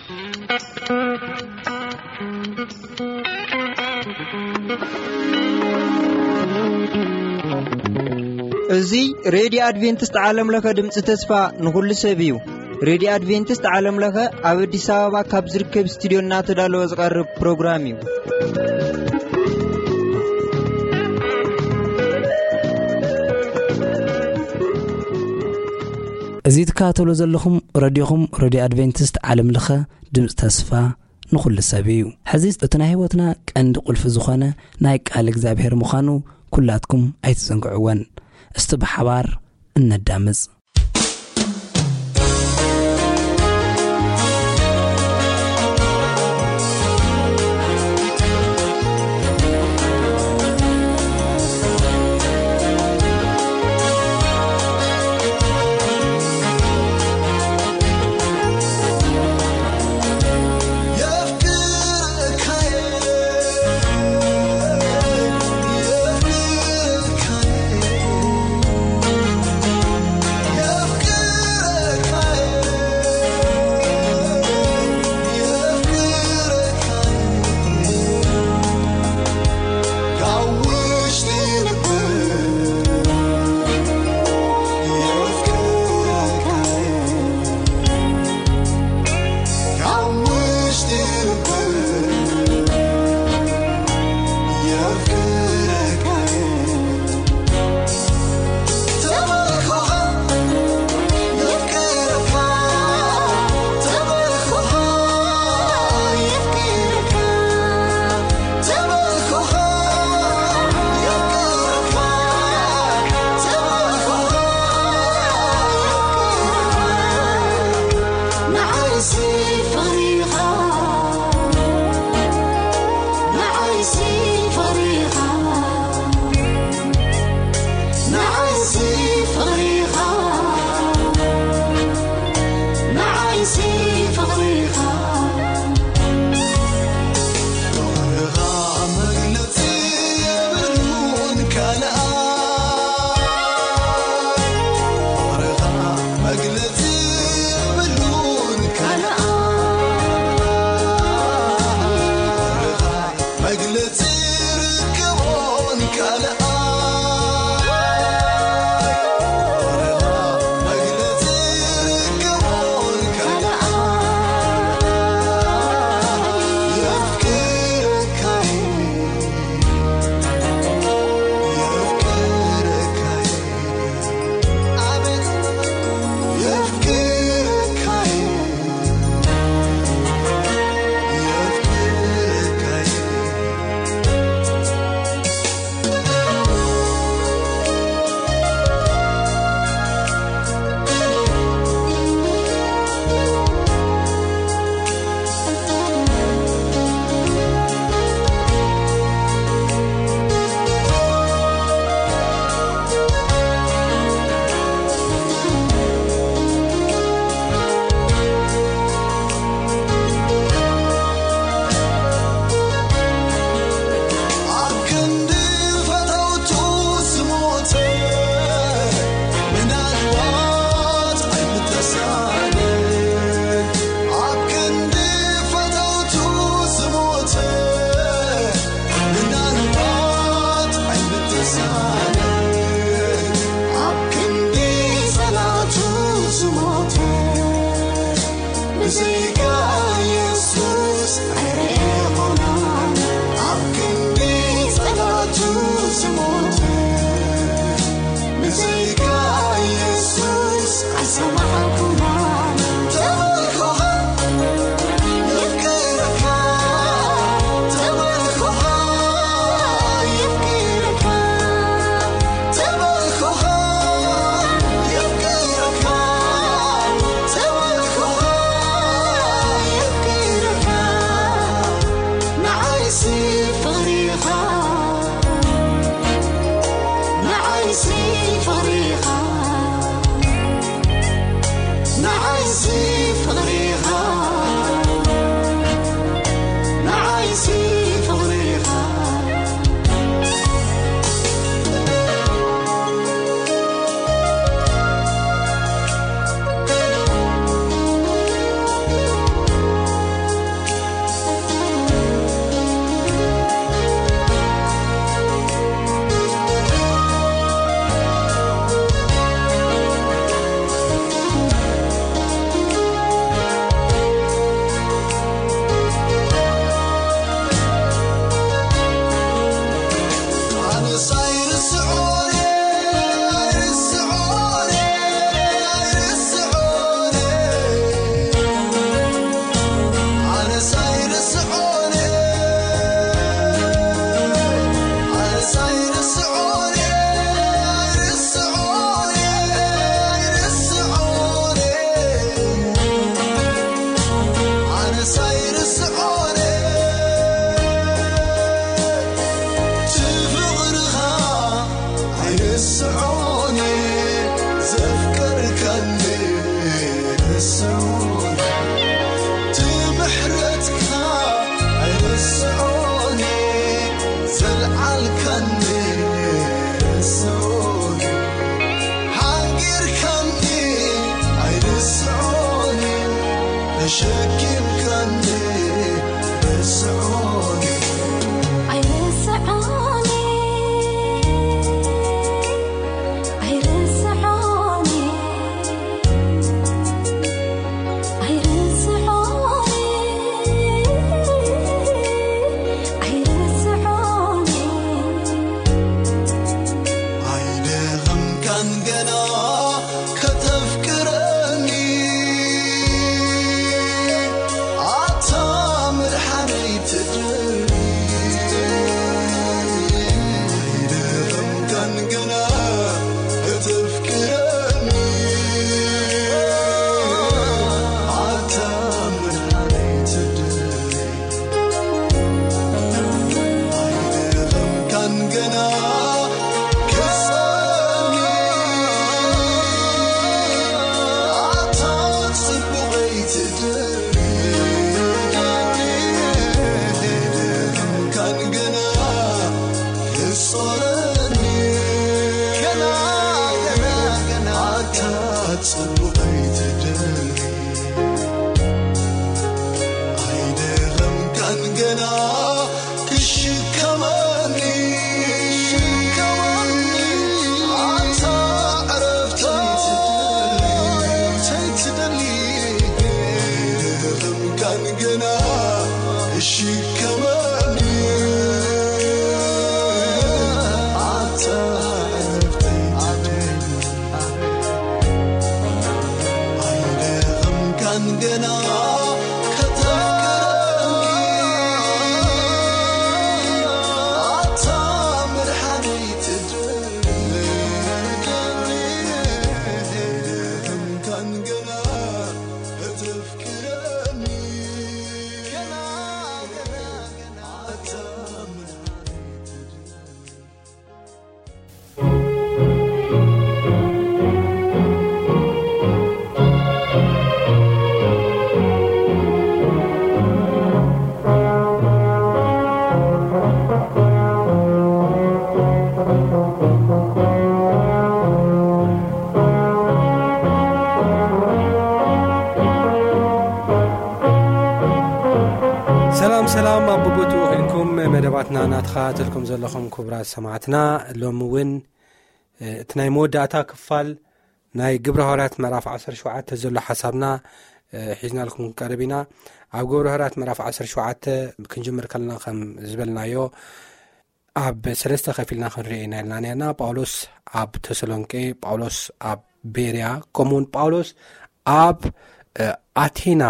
እዚ ሬድዮ ኣድቬንቲስት ዓለም ለኸ ድምፂ ተስፋ ንኹሉ ሰብ እዩ። ሬድዮ ኣድቬንቲስት ዓለም ለኸ ኣብ ኣዲስ ኣበባ ካብ ዝርከብ ስቱድዮ እናተዳለወ ዝቐርብ ፕሮግራም እዩ። እዚ ትከታተሉ ዘለኹም ረድዮኹም፣ ረድዮ ኣድቬንቲስት ዓለም ለኸ ድምፂ ተስፋ ንኹሉ ሰብ እዩ። ሕዚ እቲ ናይ ህይወትና ቀንዲ ቁልፊ ዝኾነ ናይ ቃል እግዚኣብሔር ምዃኑ ኩላትኩም ኣይትዘንግዕወን። እስቲ ብሓባር እነዳምፅ። ሸኪምካኒ ርስዖኒ ኣይርስዖኒ ኣይርስዖኒ ኣይርስዖኒ ኣይርስዖኒ ኣይደኸምካን ገና ከተፍቅረኒ ኣታ መድሓነይ ትድሪ ኣይደኸምካን ገና ከተፍቅረኒ ኣታ መድሓነይ ትድሪ ኣይደኸምካን ገና ክሳኒ ኣታ ጽቡቐይ ትድሪ ኣይደኸምካን ገና ክሳኒ ገና ገና ገና ኣታ ጽቡቐይ ትድሪ ኣይደኸምካን ገና ክሽከመኒ ኣታ ዕረፍተይ ትደሊ ኣይደኸምካን ገና ክሽከመኒ ኣታ ዕረፍተይ ትደሊ ኣይደኸምካን ገና ከተፍቅረኒ ኣታ መድሓነይ ትድሪ ኣይደኸምካን ገና ከተፍቅረኒ ገና ገና ገና ኣታ መድሓነይ ትድሪ ሰላም ሰላም፣ ኣብ ቦታኡ ኮይንኩም መደባትና እናተኸታተልኩም ዘለኹም ክቡራት ሰማዕትና፣ ሎሚ እውን እቲ ናይ መወዳእታ ክፋል ናይ ግብረ ሃዋርያት ምዕራፍ ዓሰርተ ሸውዓተ ዘሎ ሓሳብና ሒዝናልኩም ክንቀርብ ኢና። ኣብ ግብረ ሃዋርያት ምዕራፍ ዓሰርተ ሸውዓተ ክንጅምር ከለና ከም ዝበልናዮ ኣብ ሰለስተ ከፊልና ክንሪኦ ኢና ኢልና ነርና። ጳውሎስ ኣብ ተሰሎንቄ፣ ጳውሎስ ኣብ ቤርያ፣ ከምኡውን ጳውሎስ ኣብ ኣቴና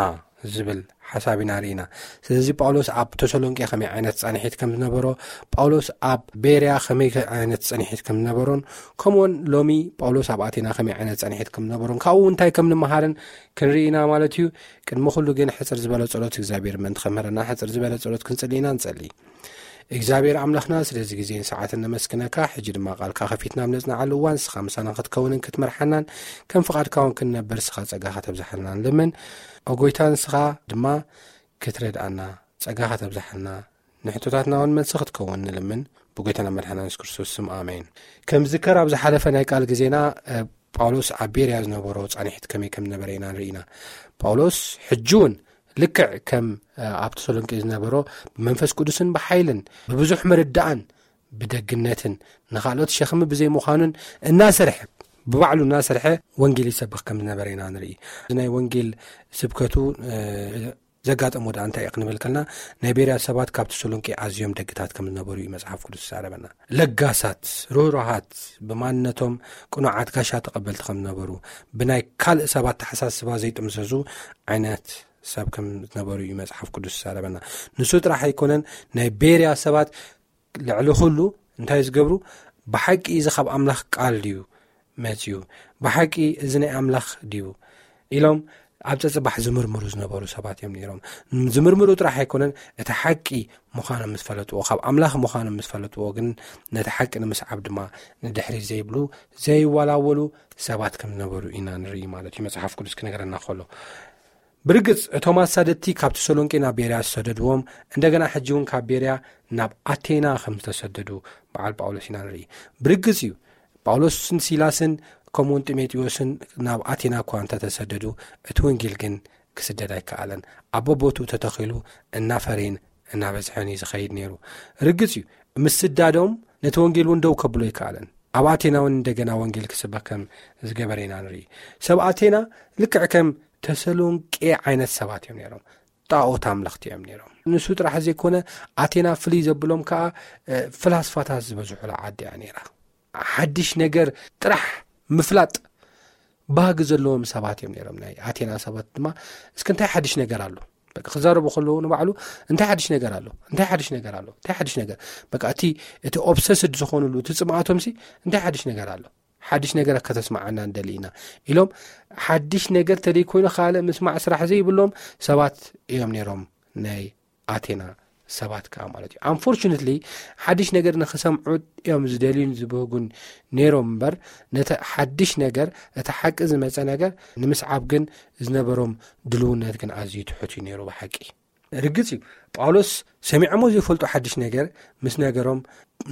ዝብል ሓሳብ ኢና ርኢና። ስለዚ ጳውሎስ ኣብ ተሰሎንቄ ከመይ ዓይነት ጻንሒት ከም ዝነበሮ፣ ጳውሎስ ኣብ ቤርያ ከመይ ዓይነት ጻንሒት ከም ዝነበሮን፣ ከምኡውን ሎሚ ጳውሎስ ኣብ ኣቴና ከመይ ዓይነት ጻንሒት ከም ዝነበሮን ካብኡ እንታይ ከም ንምሃርን ክንርኢ ኢና ማለት እዩ። ቅድሚ ኩሉ ግን ሕጽር ዝበለ ጸሎት እግዚኣብሔር ምእንቲ ከምህረና ሕጽር ዝበለ ጸሎት ክንጽሊ ኢና። ንጸሊ። እግዚኣብሔር ኣምላኽና ስለዚ ግዜን ሰዓትን ነመስግነካ። ሕጂ ድማ ቃልካ ከፊትና ኣብ ነጽናዓሉ እዋን ንስኻ ምሳና ክትከውንን ክትመርሓናን ከም ፍቓድካ እውን ክንነብር ንስኻ ጸጋኻ ተብዝሓልና ንልምን። ኦ ጎይታ ንስኻ ድማ ክትረድኣና ጸጋኻ ተብዝሓልና ንሕቶታትና እውን መልሲ ክትከውን ንልምን ብጎይታና መድሓና የሱስ ክርስቶስ ስም ኣሜን። ከም ዝከር ኣብ ዝሓለፈ ናይ ቃል ግዜና ጳውሎስ ኣብ ቤርያ ዝነበሮ ጻንሒት ከመይ ከም ዝነበረ ኢና ንርኢና። ጳውሎስ ሕጂ እውን ልክዕ ከም ኣብ ተሰሎንቄ ዝነበሮ ብመንፈስ ቅዱስን ብሓይልን ብብዙሕ ምርዳእን ብደግነትን ንኻልኦት ሸኽሚ ብዘይምዃኑን እናሰርሐ ብባዕሉ እናሰርሐ ወንጌል ይሰብኽ ከም ዝነበረ ኢና ንርኢ። እዚ ናይ ወንጌል ስብከቱ ዘጋጠሞ ደኣ እንታይ እዩ ክንብል ከልና ናይ ቤርያ ሰባት ካብ ተሰሎንቄ ኣዝዮም ደግታት ከም ዝነበሩ እዩ መጽሓፍ ቅዱስ ዝዛረበና። ለጋሳት፣ ርህሩሃት፣ ብማንነቶም ቅኑዓት ጋሻ ተቐበልቲ ከም ዝነበሩ፣ ብናይ ካልእ ሰባት ተሓሳስባ ዘይጥምዘዙ ዓይነት ሰብ ከም ዝነበሩ እዩ መጽሓፍ ቅዱስ ዝዛረበና። ንሱ ጥራሕ ኣይኮነን፣ ናይ ቤርያ ሰባት ልዕሊ ኩሉ እንታይ ዝገብሩ? ብሓቂ እዚ ካብ ኣምላኽ ቃል ድዩ መጽዩ? ብሓቂ እዚ ናይ ኣምላኽ ድዩ ኢሎም ኣብ ጸጽባሕ ዝምርምሩ ዝነበሩ ሰባት እዮም ነይሮም። ዝምርምሩ ጥራሕ ኣይኮነን፣ እቲ ሓቂ ምዃኖም ምስ ፈለጥዎ፣ ካብ ኣምላኽ ምዃኖም ምስ ፈለጥዎ ግን ነቲ ሓቂ ንምስዓብ ድማ ንድሕሪት ዘይብሉ ዘይወላወሉ ሰባት ከም ዝነበሩ ኢና ንርኢ ማለት እዩ መጽሓፍ ቅዱስ ክነግረና ከሎ። ብርግጽ እቶም ኣሳደድቲ ካብ ተሰሎንቄ ናብ ቤርያ ዝሰደድዎም እንደገና ሕጂ እውን ካብ ቤርያ ናብ ኣቴና ከም ዝተሰደዱ በዓል ጳውሎስ ኢና ንርኢ። ብርግጽ እዩ ጳውሎስን ሲላስን ከምኡውን ጢሞቴዎስን ናብ ኣቴና እኳ እንተተሰደዱ እቲ ወንጌል ግን ክስደድ ኣይከኣለን። ኣብ በቦትኡ ተተኺሉ እናፈረየን እናበዝሐን እዩ ዝኸይድ ነይሩ። ርግጽ እዩ፣ ምስዳዶም ነቲ ወንጌል እውን ደው ከብሎ ኣይከኣለን። ኣብ ኣቴና እውን እንደገና ወንጌል ክስበክ ከም ዝገበረ ኢና ንርኢ። ሰብ ኣቴና ልክዕ ከም ተሰሎንቄ ዓይነት ሰባት እዮም ነይሮም። ጣዖት ኣምለኽቲ እዮም ነይሮም። ንሱ ጥራሕ ዘይኮነ፣ ኣቴና ፍልይ ዘብሎም ከኣ ፍላስፋታት ዝበዝሑላ ዓዲ እያ ነይራ። ሓድሽ ነገር ጥራሕ ምፍላጥ ባህጊ ዘለዎም ሰባት እዮም ነይሮም። ናይ ኣቴና ሰባት ድማ፣ እስኪ እንታይ ሓድሽ ነገር ኣሎ? በቃ ክዛረቡ ከለዉ ንባዕሉ፣ እንታይ ሓድሽ ነገር ኣሎ? እንታይ ሓድሽ ነገር ኣሎ? እንታይ ሓድሽ ነገር? በቃ እቲ፣ እቲ ኦብሰስድ ዝኾኑሉ፣ እቲ ጽምኣቶም ሲ እንታይ ሓድሽ ነገር ኣሎ? ሓድሽ ነገር ከተስማዓና እንደሊ ኢና ኢሎም፣ ሓድሽ ነገር ተደይ ኮይኑ ካልእ ምስማዕ ስራሕ ዘይብሎም ሰባት እዮም ነይሮም፣ ናይ ኣቴና ሰባት ከኣ ማለት እዩ። ኣንፎርቹነትሊ ሓድሽ ነገር ንኽሰምዑ እዮም ዝደልዩን ዝብህጉን ነይሮም እምበር፣ ነቲ ሓድሽ ነገር፣ እቲ ሓቂ ዝመጸ ነገር ንምስዓብ ግን ዝነበሮም ድልውነት ግን ኣዝዩ ትሑት እዩ ነይሩ ብሓቂ። ርግጽ እዩ፣ ጳውሎስ ሰሚዖሞ ዘይፈልጡ ሓድሽ ነገር ምስ ነገሮም፣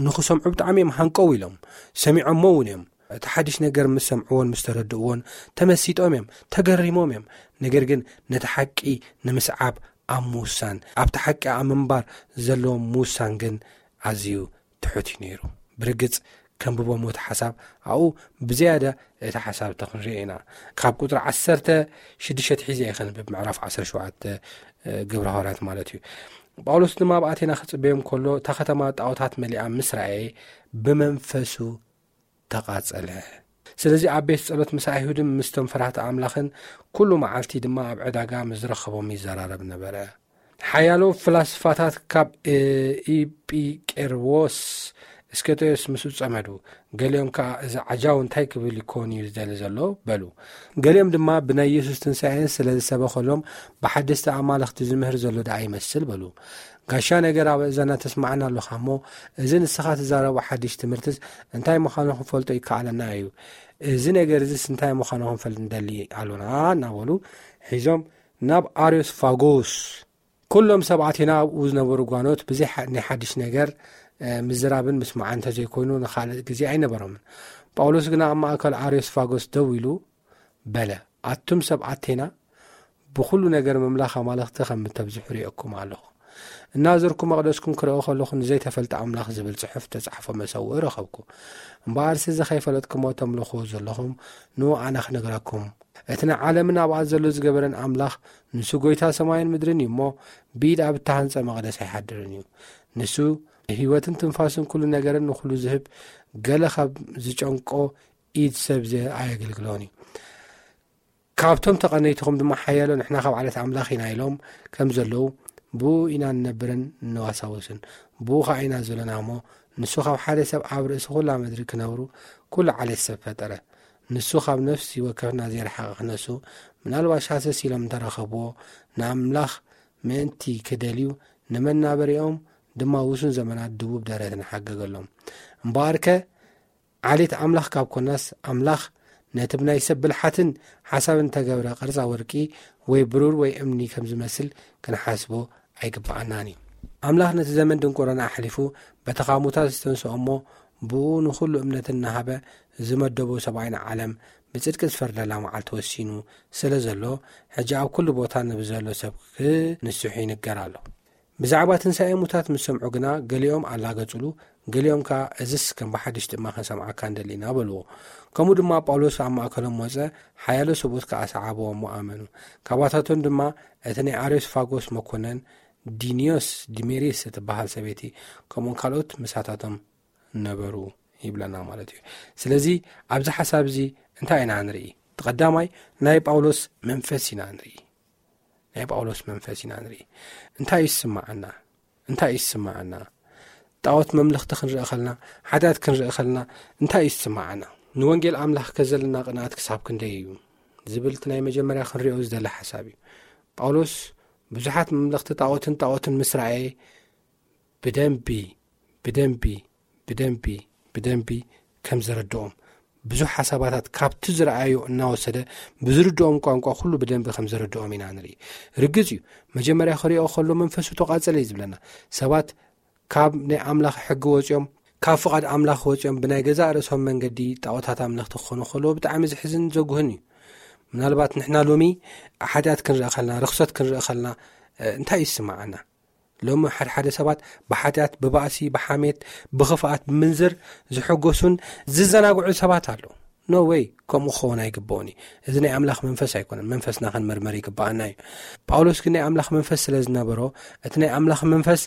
ንኽሰምዑ ብጣዕሚ እዮም ሃንቀው ኢሎም። ሰሚዖሞ እውን እዮም። እቲ ሓድሽ ነገር ምስ ሰምዕዎን ምስ ተረድእዎን ተመሲጦም እዮም፣ ተገሪሞም እዮም። ነገር ግን ነቲ ሓቂ ንምስዓብ ኣብ ምውሳን፣ ኣብቲ ሓቂ ኣብ ምንባር ዘለዎም ምውሳን ግን ኣዝዩ ትሑት እዩ ነይሩ። ብርግጽ ከንብቦም እቲ ሓሳብ ኣብኡ ብዝያዳ እቲ ሓሳብ ተኽንሪኦ ኢና። ካብ ቁጽሪ ዓሰርተ ሽዱሽተ ሒዘ እየ ከንብብ፣ ምዕራፍ ዓሰርተ ሸውዓተ ግብረ ሃዋርያት ማለት እዩ። ጳውሎስ ድማ ኣብ ኣቴና ክጽበዮም ከሎ፣ እታ ከተማ ጣዖታት መሊኣ ምስ ረኣየ ብመንፈሱ ተቓጸለ። ስለዚ ኣብ ቤት ጸሎት ምስ ኣይሁድን ምስቶም ፈራህቲ ኣምላኽን ኩሉ መዓልቲ ድማ ኣብ ዕዳጋ ምስ ዝረኸቦም ይዘራረብ ነበረ። ሓያሎ ፍላስፋታት ካብ ኢጲቄርዎስ እስከቴዎስ ምስኡ ጸመዱ። ገሊኦም ከኣ፣ እዚ ዓጃው እንታይ ክብል ይኮን እዩ ዝደሊ ዘሎ? በሉ። ገሊኦም ድማ ብናይ የሱስ ትንሳኤን ስለ ዝሰበኸሎም ብሓደስቲ ኣማልኽቲ ዝምህር ዘሎ ደኣ ይመስል በሉ። ጋሻ ነገር ኣብ እዛና ተስማዕና ኣለኻ እሞ፣ እዚ ንስኻ ትዛረቦ ሓድሽ ትምህርትስ እንታይ ምዃኑ ክንፈልጦ ይከኣለና እዩ። እዚ ነገር እዚስ እንታይ ምዃኑ ክንፈልጥ ንደሊ ኣሎና እናበሉ ሒዞም ናብ ኣርዮስፋጎስ፣ ኩሎም ሰብ ኣቴና ኣብኡ ዝነበሩ ጓኖት ብዘይ ሓ-፣ ናይ ሓድሽ ነገር፣ እ፣ ምዝራብን ምስማዕን እንተዘይኮይኑ ንኻልእ ግዜ ኣይነበሮምን። ጳውሎስ ግና ኣብ ማእከል ኣርዮስፋጎስ ደው ኢሉ በለ፣ ኣቱም ሰብ ኣቴና፣ ብኹሉ ነገር ምምላኽ ኣማልኽቲ ከም እተብዝሑ ርእየኩም ኣለኹ። እናዘርኩ መቕደስኩም ክርእዮ ከለኹ፣ ንዘይተፈልጠ ኣምላኽ ዝብል ጽሑፍ ተጻሕፎ መሰውኢ ረኸብኩ። እምበኣርሲ፣ እዚ ከይፈለጥኩሞ ተምልኽዎ ዘለኹም፣ ንኡ ኣነ ክነግረኩም። እቲ ንዓለምን ኣብኣ ዘሎ ዝገበረን ኣምላኽ፣ ንሱ ጐይታ ሰማይን ምድርን እዩ እሞ፣ ብኢድ ኣብ እተሃንጸ መቕደስ ኣይሓድርን እዩ። ንሱ ህይወትን ትንፋስን ኩሉ ነገርን ንኹሉ ዝህብ፣ ገለ ካብ ዝጨንቆ ኢድ ሰብ ዘ-፣ ኣየገልግሎን እዩ። ካብቶም ተቐነይትኹም ድማ ሓያሎ፣ ንሕና ካብ ዓሌት ኣምላኽ ኢና ኢሎም ከም ዘለዉ፣ ብኡ ኢና ንነብርን ንዋሳወስን። ብኡ ኸኣ ኢና ዘለና እሞ፣ ንሱ ካብ ሓደ ሰብ ኣብ ርእሲ ኩላ ምድሪ ክነብሩ ኩሉ ዓሌት ሰብ ፈጠረ። ንሱ ካብ ነፍሲ ወከፍና ዘይረሓቐ ክነሱ፣ ምናልባሽ ሃሰስ ኢሎም እንተረኸብዎ፣ ንኣምላኽ ምእንቲ ክደልዩ፣ ንመናበሪኦም ድማ ውሱን ዘመናት ድቡብ ደረት ንሓገገሎም። እምበኣርከ፣ ዓሌት ኣምላኽ ካብ ኮናስ፣ ኣምላኽ ነቲ ብናይ ሰብ ብልሓትን ሓሳብን እተገብረ ቅርጻ ወርቂ ወይ ብሩር ወይ እምኒ ከም ዝመስል ክንሓስቦ ኣይግብኣናን እዩ። ኣምላኽ ነቲ ዘመን ድንቁርና ኣሕሊፉ በቲ ካብ ሙታት ዝተንስኦ እሞ ብኡ ንኹሉ እምነትን እናሃበ ዝመደቦ ሰብኣይን ዓለም ብጽድቂ ዝፈርደላ መዓልቲ ወሲኑ ስለ ዘሎ፣ ሕጂ ኣብ ኩሉ ቦታ ንብዘሎ ሰብ ክንስሑ ይንገር ኣሎ። ብዛዕባ ትንሳኤ ሙታት ምስ ሰምዑ ግና፣ ገሊኦም ኣላገጹሉ፣ ገሊኦም ከኣ፣ "እዝስ ከም ብሓድሽ ድማ ክንሰምዓካ ንደሊ ኢና" በልዎ። ከምኡ ድማ ጳውሎስ ኣብ ማእከሎም ወጸ፣ ሓያሎ ሰብኡት ከኣ ሰዓብዎ እሞ ኣመኑ። ካብኣታቶም ድማ እቲ ናይ ኣርዮስፋጎስ መኮነን ዲንዮስ ዲሜሪስ እትበሃል ሰበይቲ፣ ከምኡውን ካልኦት ምሳታቶም ነበሩ ይብለና ማለት እዩ። ስለዚ ኣብዚ ሓሳብ እዚ እንታይ ኢና ንርኢ? እቲ ቀዳማይ ናይ ጳውሎስ መንፈስ ኢና ንርኢ። ናይ ጳውሎስ መንፈስ ኢና ንርኢ። እንታይ ይስምዓና? እንታይ ይስምዓና? ጣዖት መምለኽቲ ክንርኢ ከለና፣ ሓጢኣት ክንርኢ ከለና እንታይ ይስምዓና? ንወንጌል ኣምላኽ ከዘለና ቅንኣት ክሳብ ክንደይ እዩ? ዝብል እቲ ናይ መጀመርያ ክንሪኦ ዝደሊ ሓሳብ እዩ። ጳውሎስ ብዙሓት መምለኽቲ ጣዖትን ጣዖትን ምስ ረኣየ ብደንቢ፣ ብደንቢ፣ ብደንቢ፣ ብደንቢ ከም ዘረድኦም፣ ብዙሕ ሓሳባታት ካብቲ ዝረኣዮ እናወሰደ ብዝርድኦም ቋንቋ ኩሉ ብደንቢ ከም ዘረድኦም ኢና ንርኢ። ርግጽ እዩ፣ መጀመርያ ክሪኦ ከሎ መንፈሱ ተቓጸለ እዩ ዝብለና። ሰባት ካብ ናይ ኣምላኽ ሕጊ ወጺኦም፣ ካብ ፍቓድ ኣምላኽ ወጺኦም ብናይ ገዛእ ርእሶም መንገዲ ጣዖታት ኣምለኽቲ ክኾኑ ከለዉ ብጣዕሚ ዘሕዝን ዘጉህን እዩ። ምናልባት ንሕና ሎሚ ሓጢኣት ክንርኢ ከልና፣ ርኽሰት ክንርኢ ከልና እንታይ ይስምዓና? ሎሚ ሓድሓደ ሰባት ብሓጢኣት፣ ብባእሲ፣ ብሓሜት፣ ብኽፍኣት፣ ብምንዝር ዝሕጎሱን ዝዘናግዑ ሰባት ኣለዉ። ኖ ወይ፣ ከምኡ ክኸውን ኣይግብኦን እዩ። እዚ ናይ ኣምላኽ መንፈስ ኣይኮነን። መንፈስና ክንምርምር ይግብኣና እዩ። ጳውሎስ ግን ናይ ኣምላኽ መንፈስ ስለ ዝነበሮ፣ እቲ ናይ ኣምላኽ መንፈስ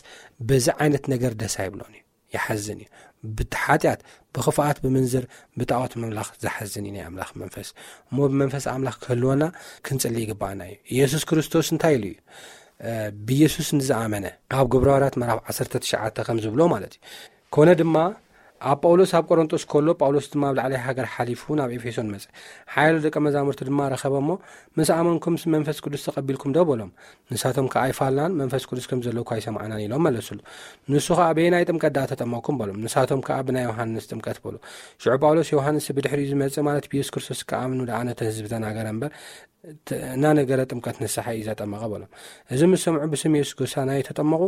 በዚ ዓይነት ነገር ደስ ኣይብሎን እዩ። ይሓዝን እዩ። ብቲ ሓጢኣት፣ ብኽፍኣት፣ ብምንዝር፣ ብጣዖት ምምላኽ ዝሓዝን እዩ ናይ ኣምላኽ መንፈስ። እሞ ብመንፈስ ኣምላኽ ክህልወና ክንጽሊ ይግብኣና እዩ። ኢየሱስ ክርስቶስ እንታይ ኢሉ እዩ? ብኢየሱስ ንዝኣመነ፣ ኣብ ግብረ ሃዋርያት ምዕራፍ ዓሰርተ ትሽዓተ ከም ዝብሎ ማለት እዩ። ኮነ ድማ፣ ኣብ ጳውሎስ ኣብ ቆሮንጦስ ከሎ፣ ጳውሎስ ድማ ኣብ ላዕላይ ሃገር ሓሊፉ ናብ ኤፌሶን መጸ። ሓያሎ ደቀ መዛሙርቲ ድማ ረኸበ እሞ፣ ምስ ኣመንኩም መንፈስ ቅዱስ ተቐቢልኩም ዶ በሎም። ንሳቶም ከኣ ኣይፋልናን፣ መንፈስ ቅዱስ ከም ዘለኩ ኣይሰማዕናን ኢሎም መለሱሉ። ንሱ ከኣ በየናይ ጥምቀት ደኣ ተጠመቕኩም በሎም። ንሳቶም ከኣ ብናይ ዮሃንስ ጥምቀት በሉ። ሽዑ ጳውሎስ ዮሃንስ ብድሕሪኡ ዝመጽእ ማለት ብኢየሱስ ክርስቶስ ክኣምኑ ደኣ ነቲ ህዝቢ ተናገረ እምበር፣ እናነገረ ጥምቀት ንስሓ እዩ ዘጠመቐ በሎም። እዚ ምስ ሰምዑ ብስም የሱስ ጎሳና ተጠመቑ።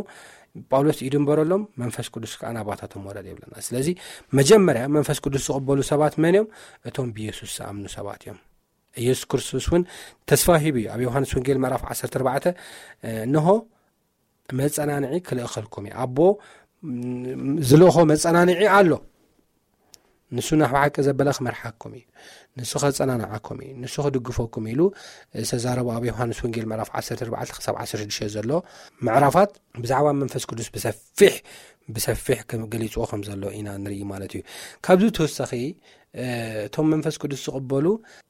ጳውሎስ ኢዱ እንበረሎም፣ መንፈስ ቅዱስ ከኣ ናባታቶም ወረደ ይብለና። ስለዚ መጀመርያ መንፈስ ቅዱስ ዝቕበሉ ሰባት መን እዮም? እቶም ብየሱስ ዝኣምኑ ሰባት እዮም። ኢየሱስ ክርስቶስ እውን ተስፋ ሂቡ እዩ። ኣብ ዮሃንስ ወንጌል ምዕራፍ ዓሰርተ ኣርባዕተ፣ እንሆ መጸናንዒ ክልእኸልኩም እዩ። ኣቦ ዝልእኾ መጸናንዒ ኣሎ። ንሱ ናብ ሓቂ ዘበለ ክመርሓኩም እዩ። ንሱ ከጸናንዓኩም እዩ። ንሱ ክድግፈኩም ኢሉ ዝተዛረቡ ኣብ ዮሃንስ ወንጌል ምዕራፍ ዓሰርተ ኣርባዕተ ክሳብ ዓሰርተ ሽዱሽተ ዘሎ ምዕራፋት ብዛዕባ መንፈስ ቅዱስ ብሰፊሕ ብሰፊሕ ከም ገሊጽዎ ከም ዘሎ ኢና ንርኢ ማለት እዩ። ካብዚ ተወሳኺ እቶም መንፈስ ቅዱስ ዝቕበሉ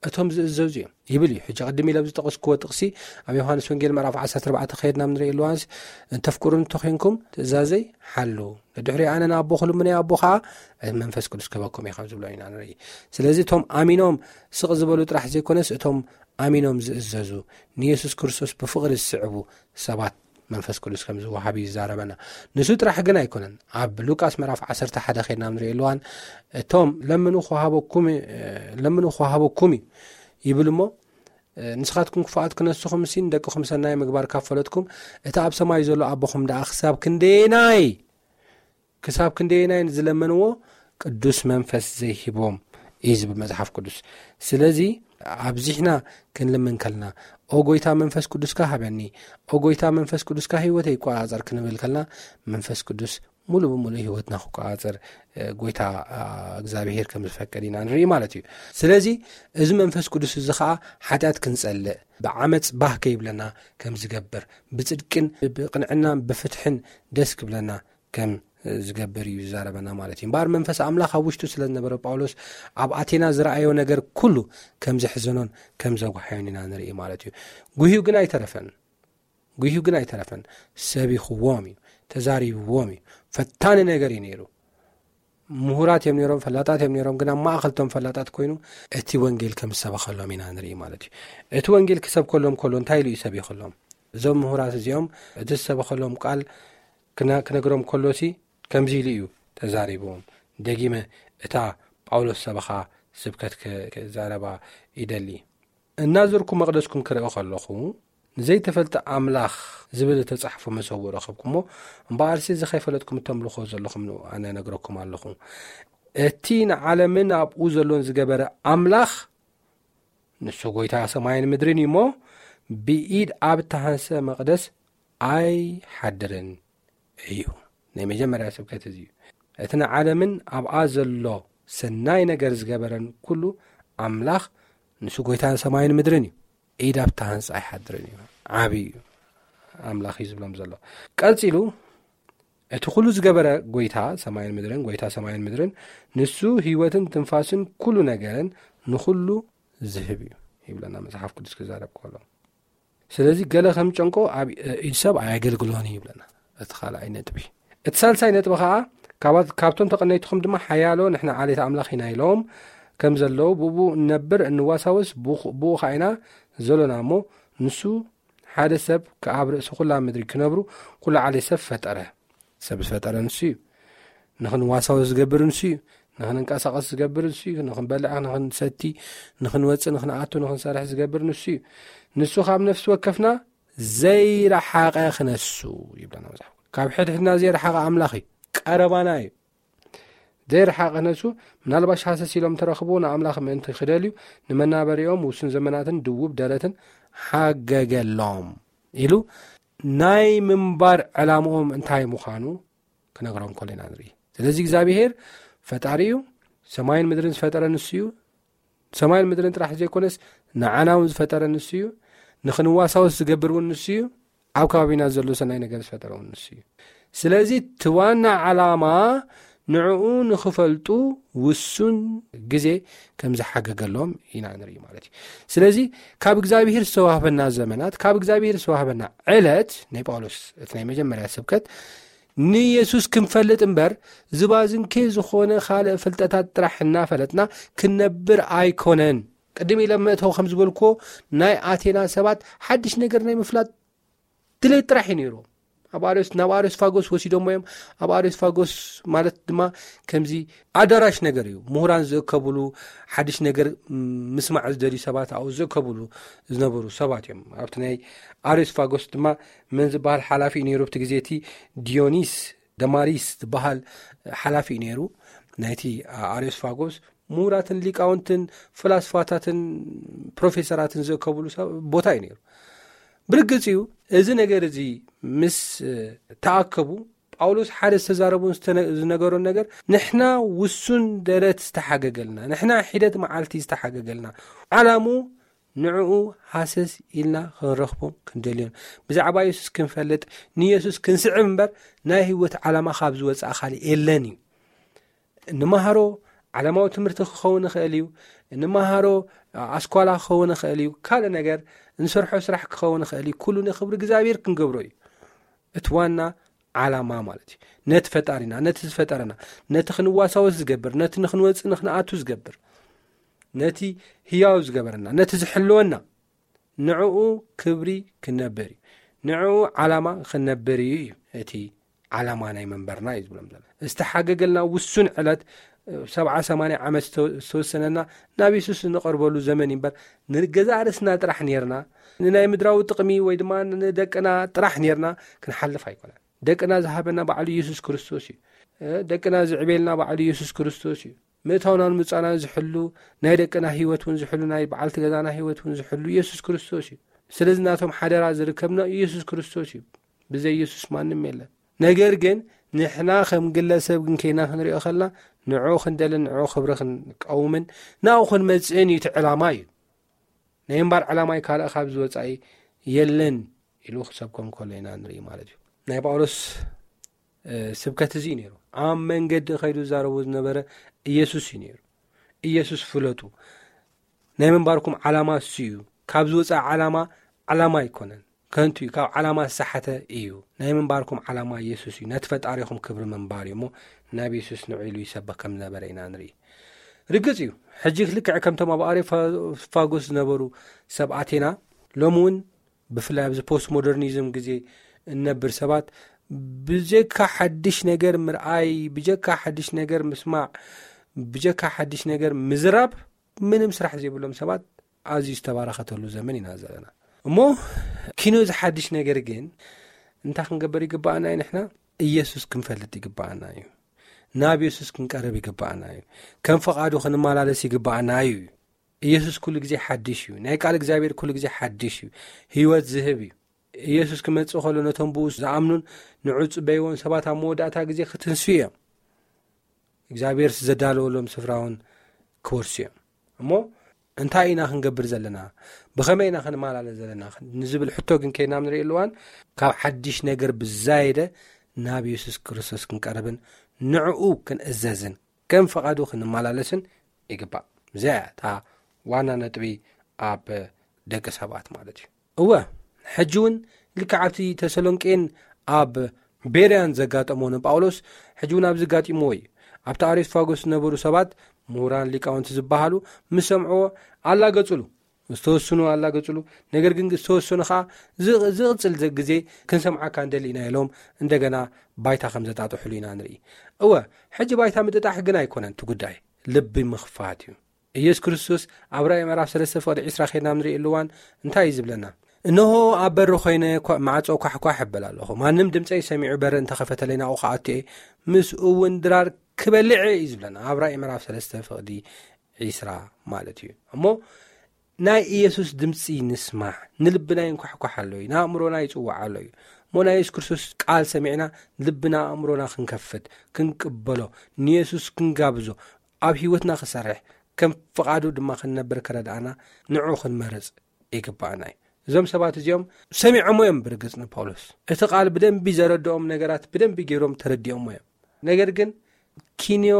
እቶም ዝእዘዙ እዮም ይብል እዩ። ሕጂ ቅድም ኢለ ዝጠቐስክዎ ጥቕሲ ኣብ ዮሃንስ ወንጌል ምዕራፍ ዓሰርተ ኣርባዕተ ከየድና ንርኢ ኣለዋንስ እንተፍቅሩ እንተኮንኩም ትእዛዘይ ሓሉ፣ ንድሕሪ ኣነ ንኣቦ ክልምኖ ኣቦ ከዓ መንፈስ ቅዱስ ክህበኩም እዩ ከም ዝብሎ ኢና ንርኢ። ስለዚ እቶም ኣሚኖም ስቕ ዝበሉ ጥራሕ ዘይኮነስ እቶም ኣሚኖም ዝእዘዙ ንየሱስ ክርስቶስ ብፍቕሪ ዝስዕቡ ሰባት መንፈስ ቅዱስ ከም ዝወሃብ እዩ ዝዛረበና። ንሱ ጥራሕ ግን ኣይኮነን። ኣብ ሉቃስ ምዕራፍ ዓሰርተ ሓደ ከድና ንርኢ ኣለዋን እቶም ለምኑ ክወሃበኩም ለምኑ ክወሃበኩም እዩ ይብል እሞ ንስኻትኩም ክፉኣት ክነስኹም ሲ ንደቅኹም ሰናይ ምግባር ካብ ፈለጥኩም እቲ ኣብ ሰማይ ዘሎ ኣቦኹም ደኣ ክሳብ ክንደየናይ ክሳብ ክንደየናይ ንዝለመንዎ ቅዱስ መንፈስ ዘይሂቦም እዩ ዝብል መጽሓፍ ቅዱስ። ስለዚ ኣብዚሕና ክንልምን ከልና ኦ ጎይታ መንፈስ ቅዱስካ ሃበኒ፣ ኦ ጎይታ መንፈስ ቅዱስካ ህይወተይ ይቆጻጸር ክንብል ከልና መንፈስ ቅዱስ ሙሉ ብሙሉ ህይወትና ክቆጻጸር ጎይታ እግዚኣብሄር ከም ዝፈቀድ ኢና ንርኢ ማለት እዩ። ስለዚ እዚ መንፈስ ቅዱስ እዚ ከዓ ሓጢኣት ክንጸልእ ብዓመፅ ባህ ከይብለና ከም ዝገብር ብፅድቅን ብቅንዕናን ብፍትሕን ደስ ክብለና ከም ዝገብር እዩ ዝዛረበና ማለት እዩ። እምበኣር መንፈስ ኣምላኽ ኣብ ውሽጡ ስለ ዝነበረ ጳውሎስ ኣብ ኣቴና ዝረኣዮ ነገር ኩሉ ከም ዘሕዘኖን ከም ዘጉሓዮን ኢና ንርኢ ማለት እዩ። ጉህዩ ግን ኣይተረፈን። ጉህዩ ግን ኣይተረፈን። ሰቢኽዎም እዩ፣ ተዛሪብዎም እዩ። ፈታኒ ነገር እዩ ነይሩ። ምሁራት እዮም ነይሮም፣ ፈላጣት እዮም ነይሮም። ግን ኣብ ማእኸል እቶም ፈላጣት ኮይኑ እቲ ወንጌል ከም ዝሰበኸሎም ኢና ንርኢ ማለት እዩ። እቲ ወንጌል ክሰብከሎም ከሎ እንታይ ኢሉ እዩ ሰቢኽሎም? እዞም ምሁራት እዚኦም እቲ ዝሰበኸሎም ቃል ክነግሮም ከሎሲ ከምዚ ኢሉ እዩ ተዛሪብዎም። ደጊመ እታ ጳውሎስ ሰበኻ ስብከት ክዛረባ ይደሊ። እናዞርኩ መቕደስኩም ክርኢ ከለኹ ንዘይተፈልጠ ኣምላኽ ዝብል እተጻሕፎ መሰውኡ ረኸብኩሞ። እምበኣርሲ እዚ ከይፈለጥኩም እተምልኹዎ ዘለኹም ንኡ ኣነ እነግረኩም ኣለኹ። እቲ ንዓለምን ኣብኡ ዘሎን ዝገበረ ኣምላኽ ንሱ ጐይታ ሰማይን ምድርን እዩ እሞ ብኢድ ኣብ እተሃንሰ መቕደስ ኣይሓድርን እዩ። ናይ መጀመርያ ስብከት እዚ እዩ። እቲ ንዓለምን ኣብኣ ዘሎ ሰናይ ነገር ዝገበረን ኩሉ ኣምላኽ ንሱ ጐይታ ሰማይን ምድርን እዩ። ኢድ ኣብታ ህንጻ ኣይሓድርን እዩ። ዓቢ እዩ ኣምላኽ እዩ ዝብሎም ዘሎ። ቀጺሉ እቲ ኩሉ ዝገበረ ጐይታ ሰማይን ምድርን፣ ጐይታ ሰማይን ምድርን ንሱ ህይወትን ትንፋስን ኩሉ ነገርን ንኹሉ ዝህብ እዩ ይብለና መጽሓፍ ቅዱስ ክዛረብ ከሎ። ስለዚ ገለ ከም ጨንቆ ኣብ ኢድ ሰብ ኣየገልግሎን እዩ ይብለና። እቲ ካልኣይ ነጥቢ። እቲ ሳልሳይ ነጥቢ ኸዓ ካብቶም ተቐነይትኹም ድማ ሓያሎ ንሕና ዓሌት ኣምላኽ ኢና ኢሎም ከም ዘለዉ ብኡ እንነብር እንዋሳወስ ብኡ ከዓ ኢና ዘሎና እሞ ንሱ ሓደ ሰብ ከኣብ ርእሲ ኩላ ምድሪ ክነብሩ ኩሉ ዓሌት ሰብ ፈጠረ። ሰብ ዝፈጠረ ንሱ እዩ። ንኽንዋሳወስ ዝገብር ንሱ እዩ። ንኽንንቀሳቐስ ዝገብር ንሱ እዩ። ንኽንበልዕ ንኽንሰቲ ንኽንወፅእ ንኽንኣቱ ንኽንሰርሕ ዝገብር ንሱ እዩ። ንሱ ካብ ነፍሲ ወከፍና ዘይረሓቐ ክነሱ ይብለና መጽሓፍ። ካብ ሕድሕድና ዘይረሓቐ ኣምላኽ እዩ። ቀረባና እዩ። ዘይረሓቐ ነሱ፣ ምናልባሽ ሃሰስ ኢሎም ተረኽብዎ ንኣምላኽ ምእንቲ ክደልዩ ንመናበሪኦም ውሱን ዘመናትን ድውብ ደረትን ሓገገሎም ኢሉ ናይ ምንባር ዕላምኦም እንታይ ምዃኑ ክነግሮም ከሎ ኢና ንርኢ። ስለዚ እግዚኣብሔር ፈጣሪ እዩ። ሰማይን ምድርን ዝፈጠረ ንሱ እዩ። ሰማይን ምድርን ጥራሕ ዘይኮነስ ንዓና እውን ዝፈጠረ ንሱ እዩ። ንኽንዋሳወስ ዝገብር እውን ንሱ እዩ። ኣብ ከባቢና ዘሎ ሰናይ ነገር ዝፈጠረ እውን ንሱ እዩ። ስለዚ እቲ ዋና ዓላማ ንዕኡ ንኽፈልጡ ውሱን ግዜ ከም ዝሓገገሎም ኢና ንርኢ ማለት እዩ። ስለዚ ካብ እግዚኣብሔር ዝተዋህበና ዘመናት፣ ካብ እግዚኣብሔር ዝተዋህበና ዕለት፣ ናይ ጳውሎስ እቲ ናይ መጀመርያ ስብከት፣ ንየሱስ ክንፈልጥ እምበር ዝባዝንኬ ዝኾነ ካልእ ፍልጠታት ጥራሕ እናፈለጥና ክንነብር ኣይኮነን። ቅድም ኢለ መእተው ከም ዝበልኩዎ፣ ናይ ኣቴና ሰባት ሓድሽ ነገር ናይ ምፍላጥ ድሌት ጥራሕ እዩ ነይሩ። ኣብ ኣርዮስ ናብ ኣርዮስፋጎስ ወሲዶሞ እዮም። ኣብ ኣርዮስፋጎስ ማለት ድማ ከምዚ ኣዳራሽ ነገር እዩ፣ ምሁራን ዝእከብሉ፣ ሓድሽ ነገር ምስማዕ ዝደልዩ ሰባት ኣብኡ ዝእከብሉ ዝነበሩ ሰባት እዮም። ኣብቲ ናይ ኣርዮስፋጎስ ድማ መን ዝበሃል ሓላፊ እዩ ነይሩ ኣብቲ ግዜ እቲ? ዲዮኒስ ደማሪስ ዝበሃል ሓላፊ እዩ ነይሩ ናይቲ ኣርዮስፋጎስ። ምሁራትን ሊቃውንትን ፈላስፋታትን ፕሮፌሰራትን ዝእከብሉ ቦታ እዩ ነይሩ። ብርግጽ እዩ፣ እዚ ነገር እዚ ምስ ተኣከቡ፣ ጳውሎስ ሓደ ዝተዛረቡን ዝነገሮን ነገር፣ ንሕና ውሱን ደረት ዝተሓገገልና፣ ንሕና ሒደት መዓልቲ ዝተሓገገልና፣ ዓላሙ ንዕኡ ሃሰስ ኢልና ክንረኽቦም ክንደልዮን፣ ብዛዕባ የሱስ ክንፈልጥ፣ ንየሱስ ክንስዕብ እምበር፣ ናይ ህይወት ዓላማ ካብ ዝወፅኣ ካልእ የለን እዩ። እንመሃሮ ዓለማዊ ትምህርቲ ክኸውን ይኽእል እዩ። እንመሃሮ ኣስኳላ ክኸውን ይኽእል እዩ። ካልእ ነገር እንሰርሖ ስራሕ ክኸውን ይኽእል እዩ። ኩሉ ንኽብሪ እግዚኣብሔር ክንገብሮ እዩ። እቲ ዋና ዓላማ ማለት እዩ። ነቲ ፈጣሪና፣ ነቲ ዝፈጠረና፣ ነቲ ክንዋሳወስ ዝገብር፣ ነቲ ንኽንወፅእ ንኽንኣቱ ዝገብር፣ ነቲ ህያው ዝገበረና፣ ነቲ ዝሕልወና፣ ንዕኡ ክብሪ ክንነብር እዩ። ንዕኡ ዓላማ ክንነብር እዩ እዩ እቲ ዓላማ ናይ መንበርና እዩ ዝብሎም ዘሎ። ዝተሓገገልና ውሱን ዕለት፣ ሰብዓ ሰማንያ ዓመት ዝተወሰነና ናብ የሱስ እንቐርበሉ ዘመን እዩ እምበር፣ ንገዛእ ርእስና ጥራሕ ኔርና፣ ንናይ ምድራዊ ጥቕሚ ወይ ድማ ንደቅና ጥራሕ ኔርና ክንሓልፍ ኣይኮነን። ደቅና ዝሃበና ባዕሉ የሱስ ክርስቶስ እዩ። ደቅና ዝዕቤልና ባዕሉ የሱስ ክርስቶስ እዩ። ምእታውናን ምጻናን ዝሕሉ፣ ናይ ደቅና ህይወት እውን ዝሕሉ፣ ናይ በዓልቲ ገዛና ህይወት እውን ዝሕሉ የሱስ ክርስቶስ እዩ። ስለዚ ናቶም ሓደራ ዝርከብና የሱስ ክርስቶስ እዩ። ብዘይ የሱስ ማንም የለን። ነገር ግን ንሕና ከም ግለሰብ ግን ከይና ክንሪኦ ከለና፣ ንዕኡ ክንደልን ንዕኡ ክብሪ ክንቀውምን ናብኡ ክንመጽእን እዩ እቲ ዕላማ እዩ። ናይ እምባር ዕላማይ ካልእ ካብ ዝወጻኢ የለን ኢሉ ክሰብኮም ከሎ ኢና ንርኢ ማለት እዩ። ናይ ጳውሎስ ስብከት እዚ እዩ ነይሩ። ኣብ መንገዲ ከይዱ ዝዛረቡ ዝነበረ ኢየሱስ እዩ ነይሩ። ኢየሱስ ፍለጡ። ናይ ምንባርኩም ዓላማ እሱ እዩ። ካብ ዝወፃ ዓላማ፣ ዓላማ ኣይኮነን። ከንቱ እዩ። ካብ ዓላማ ዝሰሓተ እዩ። ናይ ምንባርኩም ዓላማ ኢየሱስ እዩ። ነቲ ፈጣሪኹም ክብሪ ምንባር እዩ እሞ፣ ናብ ኢየሱስ ንዑ ኢሉ ይሰብኽ ከም ዝነበረ ኢና ንርኢ። ርግጽ እዩ። ሕጂ ልክዕ ከምቶም ኣብ ኣሬፋጎስ ዝነበሩ ሰብ ኣቴና፣ ሎሚ እውን ብፍላይ ኣብዚ ፖስት ሞደርኒዝም ግዜ እንነብር ሰባት፣ ብጀካ ሓድሽ ነገር ምርኣይ፣ ብጀካ ሓድሽ ነገር ምስማዕ፣ ብጀካ ሓድሽ ነገር ምዝራብ ምንም ስራሕ ዘይብሎም ሰባት ኣዝዩ ዝተባረኸተሉ ዘመን ኢና ዘለና። እሞ ኪኖ እዚ ሓድሽ ነገር ግን እንታይ ክንገብር ይግባኣና እዩ? ንሕና ኢየሱስ ክንፈልጥ ይግባኣና እዩ። ናብ የሱስ ክንቀርብ ይግባኣና እዩ። ከም ፈቓዱ ክንመላለስ ይግባኣና እዩ። ኢየሱስ ኩሉ ግዜ ሓድሽ እዩ። ናይ ቃል እግዚኣብሔር ኩሉ ግዜ ሓድሽ እዩ። ህይወት ዝህብ እዩ። ኢየሱስ ክመጽእ ከሎ ነቶም ብኡ ዝኣምኑን ንዑ ዝጽበይዎን ሰባት ኣብ መወዳእታ ግዜ ክትንስኡ እዮም። እግዚኣብሔር ዘዳለወሎም ስፍራ እውን ክወርሱ እዮም። እሞ እንታይ ኢና ክንገብር ዘለና? ብኸመይ ኢና ክንመላለስ ዘለና? ንዝብል ሕቶ ግን ከይና ንርኢ ኣለዋን ካብ ሓድሽ ነገር ብዛየደ ናብ የሱስ ክርስቶስ ክንቀርብን ንዕኡ ክንእዘዝን ከም ፈቓዱ ክንመላለስን ይግባእ። እዚኣ እያ እታ ዋና ነጥቢ ኣብ ደቂ ሰባት ማለት እዩ። እወ፣ ሕጂ እውን ልክዕ ኣብቲ ተሰሎንቄን ኣብ ቤርያን ዘጋጠሞ ንጳውሎስ ሕጂ እውን ኣብዚ ጋጢምዎ እዩ። ኣብቲ ኣሬስፋጎስ ዝነበሩ ሰባት፣ ምሁራን ሊቃውንቲ ዝበሃሉ፣ ምስ ሰምዕዎ ኣላገጹሉ። ዝተወስኑ ኣላገጹሉ። ነገር ግን ዝተወሰኑ ኸዓ ዝ-፣ ዝቕጽል ዘ-፣ ግዜ ክንሰምዓካ ንደሊ ኢና ኢሎም እንደገና ባይታ ከም ዘጣጥሑሉ ኢና ንርኢ። እወ፣ ሕጂ ባይታ ምጥጣሕ ግን ኣይኮነን እቲ ጉዳይ፣ ልቢ ምኽፋት እዩ። ኢየሱስ ክርስቶስ ኣብ ራእይ ምዕራፍ ሰለስተ ፍቕዲ ዕስራ ኸይድና ንርኢ እዋን እንታይ እዩ ዝብለና? እንሆ ኣብ በሪ ኾይነ ኳ-፣ ማዕጾ ኳሕኳሕ እብል ኣለኹ። ማንም ድምፀይ ሰሚዑ በሪ እንተኸፈተለይ ናብኡ ክኣቱ እየ፣ ምስኡ እውን ድራር ክበልዕ እዩ ዝብለና ኣብ ራእይ ምዕራፍ ሰለስተ ፍቕዲ ዒስራ ማለት እዩ። እሞ ናይ ኢየሱስ ድምፂ ንስማዕ። ንልብና ይንኳሕኳሕ ኣሎ እዩ፣ ንኣእምሮና ይፅዋዕ ኣሎ እዩ። እሞ ናይ የሱስ ክርስቶስ ቃል ሰሚዕና ልብና ኣእምሮና ክንከፍት፣ ክንቅበሎ፣ ንየሱስ ክንጋብዞ፣ ኣብ ህይወትና ክሰርሕ፣ ከም ፍቓዱ ድማ ክንነብር ክረድኣና ንዑ ክንመርፅ ይግባኣና እዩ። እዞም ሰባት እዚኦም ሰሚዖሞ እዮም። ብርግፅ ንጳውሎስ እቲ ቃል ብደንቢ ዘረድኦም ነገራት ብደንቢ ገይሮም ተረዲኦሞ እዮም። ነገር ግን ኪንዮ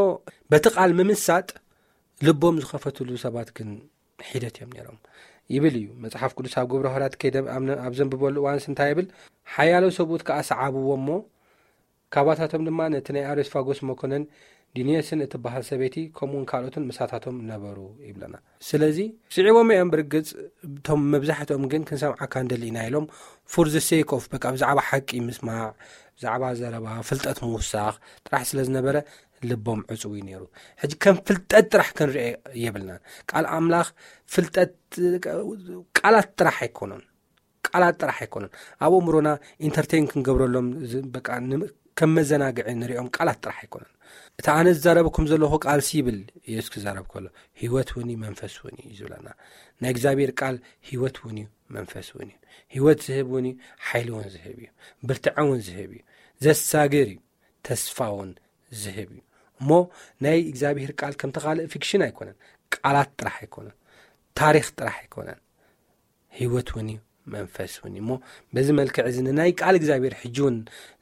በቲ ቃል ምምሳጥ ልቦም ዝኸፈትሉ ሰባት ግን ሒደት እዮም ነይሮም ይብል እዩ መጽሓፍ ቅዱስ። ኣብ ግብረ ሐዋርያት ከይደ ኣብ ዘንብበሉ እዋንስ እንታይ ይብል? ሓያሎ ሰብኡት ከኣ ሰዓብዎ እሞ ካባታቶም ድማ ነቲ ናይ ኣሬስፋጎስ መኮነን ዲንየስን እትበሃል ሰበይቲ ከምኡውን ካልኦትን ምሳታቶም ነበሩ ይብለና። ስለዚ ስዒቦም እዮም። ብርግጽ እቶም መብዛሕትኦም ግን ክንሰምዓካ እንደሊ ኢና ኢሎም for the sake of በቃ ብዛዕባ ሓቂ ምስማዕ፣ ብዛዕባ ዘረባ ፍልጠት ምውሳኽ ጥራሕ ስለ ዝነበረ ልቦም ዕጽው እዩ ነይሩ። ሕጂ ከም ፍልጠት ጥራሕ ክንርአ የብልናን። ቃል ኣምላኽ ፍልጠት ቃላት ጥራሕ ኣይኮኑን። ቃላት ጥራሕ ኣይኮኑን። ኣብ ኣእምሮና ኢንተርቴን ክንገብረሎም ዝ- በቃ ን- ከም መዘናግዒ ንሪኦም ቃላት ጥራሕ ኣይኮኑን። እቲ ኣነ ዝዛረበኩም ዘለኹ ቃልሲ ይብል ኢየሱስ ክዛረብ ከሎ ህይወት እውን እዩ መንፈስ እውን እዩ ዝብለና። ናይ እግዚኣብሔር ቃል ህይወት እውን እዩ መንፈስ እውን እዩ። ህይወት ዝህብ እውን እዩ፣ ሓይሊ እውን ዝህብ እዩ፣ ብርትዐ እውን ዝህብ እዩ፣ ዘሳግር እዩ፣ ተስፋ እውን ዝህብ እዩ። እሞ ናይ እግዚኣብሔር ቃል ከምቲ ካልእ ፊክሽን ኣይኮነን፣ ቃላት ጥራሕ ኣይኮነን፣ ታሪኽ ጥራሕ ኣይኮነን፣ ህይወት እውን እዩ መንፈስ እውን እዩ። እሞ በዚ መልክዕ እዚ ንናይ ቃል እግዚኣብሔር ሕጂ እውን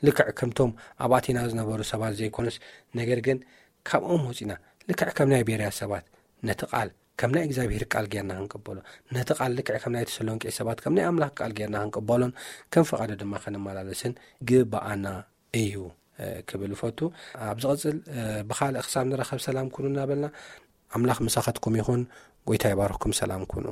ልክዕ ከምቶም ኣብ ኣቴና ዝነበሩ ሰባት ዘይኮኑስ፣ ነገር ግን ካብኦም ወፂና ልክዕ ከም ናይ ቤርያ ሰባት ነቲ ቃል ከም ናይ እግዚኣብሔር ቃል ጌርና ክንቅበሎ፣ ነቲ ቃል ልክዕ ከም ናይ ተሰሎንቄ ሰባት ከም ናይ ኣምላኽ ቃል ጌርና ክንቅበሎን ከም ፈቓዱ ድማ ክንመላለስን ግባኣና እዩ ክብል ፈቱ። ኣብ ዝቕፅል ብኻልእ ክሳብ ንረኸብ ሰላም ኩኑ እናበልና ኣምላኽ ምሳኸትኩም ይኹን። ጎይታ ይባርኽኩም። ሰላም ኩኑ።